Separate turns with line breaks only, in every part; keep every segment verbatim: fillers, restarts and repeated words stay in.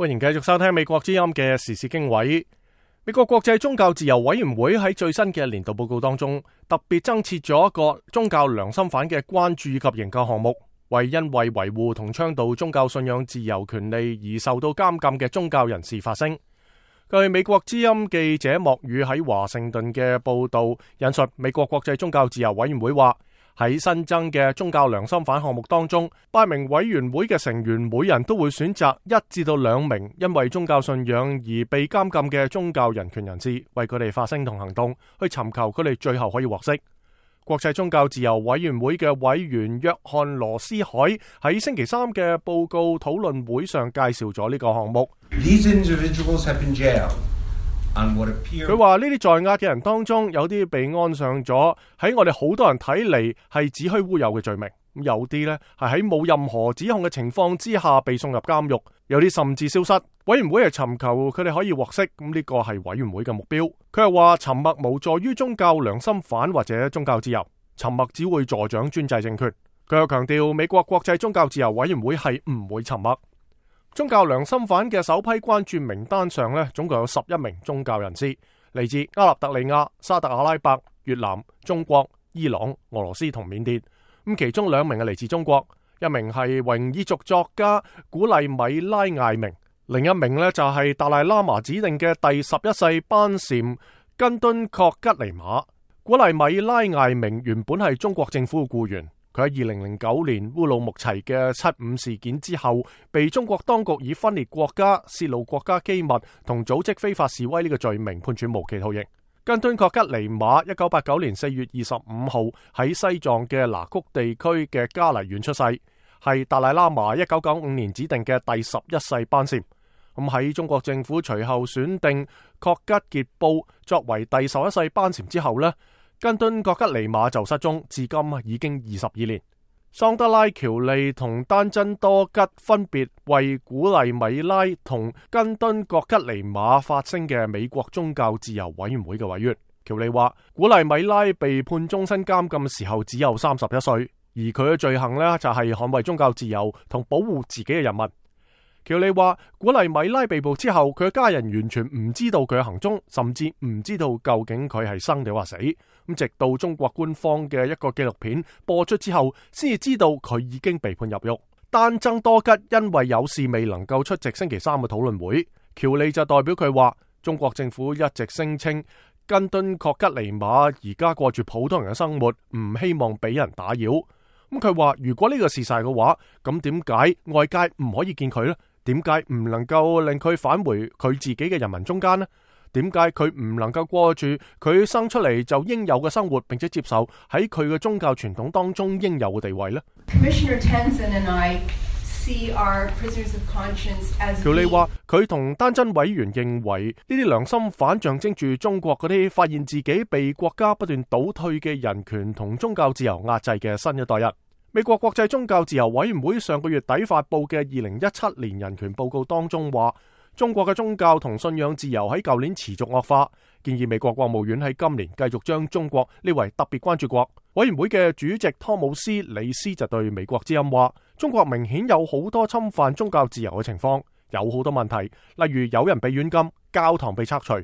歡迎繼續收聽美國之音嘅時事經緯。美國國際宗教自由委員會喺最新嘅年度報告當中，特別增設咗一個宗教良心犯嘅關注及研究項目，為因為維護同倡導宗教信仰自由權利而受到監禁嘅宗教人士發聲。據美國之音記者莫宇喺華盛頓嘅報道引述，美國國際宗教自由委員會話，喺新增嘅宗教良心犯項目當中，八名委員會嘅成員每人都會選擇一至到兩名因為宗教信仰而被監禁嘅宗教人權人士，為佢哋發聲同行動，去尋求佢哋最後可以獲釋。國際宗教自由委員會嘅委員約翰羅斯海喺星期三嘅報告討論會上介紹咗呢個項目。佢話呢啲在押嘅人當中，有啲被安上咗喺我哋好多人睇嚟係子虛烏有嘅罪名，有啲呢係喺冇任何指控嘅情況之下被送入監獄，有啲甚至消失。委員會係尋求佢哋可以獲釋，咁呢個係委員會嘅目標。佢係話沉默無助於宗教良心犯或者宗教自由，沉默只會助長專制政權。佢又強調美國國際宗教自由委員會係唔會沉默。宗教良心犯嘅首批關注名單上呢，總共有十一名宗教人士，嚟自阿納特利亞、沙特阿拉伯、越南、中國、伊朗、俄羅斯同緬甸。咁其中兩名係嚟自中國，一名係維吾爾族作家古麗米拉艾明，另一名呢就係達賴喇嘛指定嘅第十一世班禪根敦確吉尼瑪。古麗米拉艾明原本係中國政府嘅僱員。佢喺二零零九年烏魯木齊嘅七五事件之後，被中國當局以分裂國家、泄露國家機密同組織非法示威呢個罪名判處無期徒刑。根敦確吉尼瑪一九八九年四月二十五號喺西藏嘅拿曲地區嘅加黎縣出世，係達賴喇嘛一九九五年指定嘅第十一世班禪。咁喺中國政府隨後選定確吉傑布作為第十一世班禪之後呢，根敦確吉尼瑪就失蹤，至今已經二十二年。桑德拉喬利同丹真多吉分別為古麗米拉同根敦確吉尼瑪發聲嘅美國宗教自由委員會嘅委員。喬利話，古麗米拉被判終身監禁嘅時候只有三十一歲，而佢嘅罪行呢，就係捍衛宗教自由同保護自己嘅人民。喬利話，古麗米拉被捕之後，佢嘅家人完全唔知道佢嘅行蹤，甚至唔知道究竟佢係生定或死。咁直到中國官方嘅一個紀錄片播出之後，先至知道佢已經被判入獄。丹增多吉因為有事未能夠出席星期三嘅討論會，喬利就代表佢話，中國政府一直聲稱根敦確吉尼瑪而家過住普通人嘅生活，唔希望俾人打擾。咁佢話，如果呢個事實嘅話，咁點解外界唔可以見佢呢？點解唔能夠令佢返回佢自己嘅人民中間呢？點解佢唔能夠過住佢生出嚟就應有嘅生活，並且接受喺佢嘅宗教傳統當中應有嘅地位呢？喬利話，佢同丹真委員認為呢啲良心犯象徵住中國嗰啲發現自己被國家不斷倒退嘅人權同宗教自由壓制嘅新一代人。美國國際宗教自由委員會上個月底發佈嘅二零一七年人權報告當中話，中國嘅宗教同信仰自由喺舊年持續惡化，建議美國國務院喺今年繼續將中國列為特別關注國。委員會嘅主席湯姆斯里斯就對美國之音話，中國明顯有好多侵犯宗教自由嘅情況，有好多問題，例如有人被軟禁、教堂被拆除、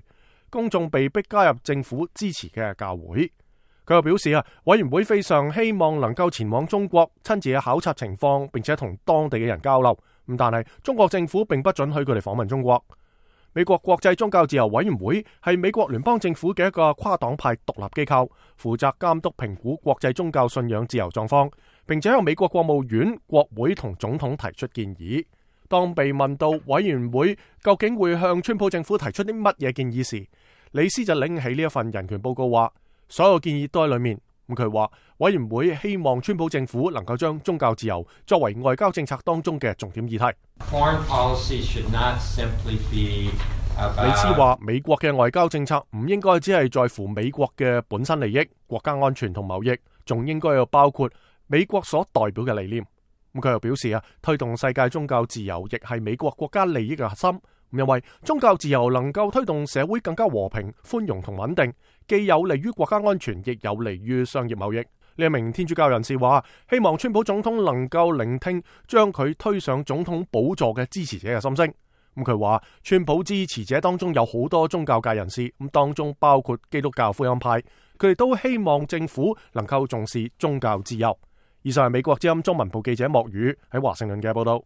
公眾被逼加入政府支持嘅教會。佢又表示啊，委員會非常希望能夠前往中國親自去考察情況，並且同當地嘅人交流。咁但係中國政府並不准許佢哋訪問中國。美國國際宗教自由委員會係美國聯邦政府嘅一個跨黨派獨立機構，負責監督評估國際宗教信仰自由狀況，並且向美國國務院、國會同總統提出建議。當被問到委員會究竟會向川普政府提出啲乜嘢建議時，李斯就拎起呢一份人權報告話，所有建議都喺裏面。咁佢話，委員會希望川普政府能夠將宗教自由作為外交政策當中嘅重點議題。李斯話，美國嘅外交政策唔應該只係在乎美國嘅本身利益、國家安全同貿易，仲應該要包括美國所代表嘅理念。咁佢又表示啊，推動世界宗教自由亦係美國國家利益嘅核心。因為宗教自由能夠推動社會更加和平、寬容同穩定，既有利於國家安全，亦有利於商業貿易。呢一名天主教人士話，希望川普總統能夠聆聽將佢推上總統寶座嘅支持者嘅心聲。咁佢話，川普支持者當中有好多宗教界人士，咁當中包括基督教福音派，佢哋都希望政府能夠重視宗教自由。以上係美國之音中文部記者莫宇喺華盛頓嘅報道。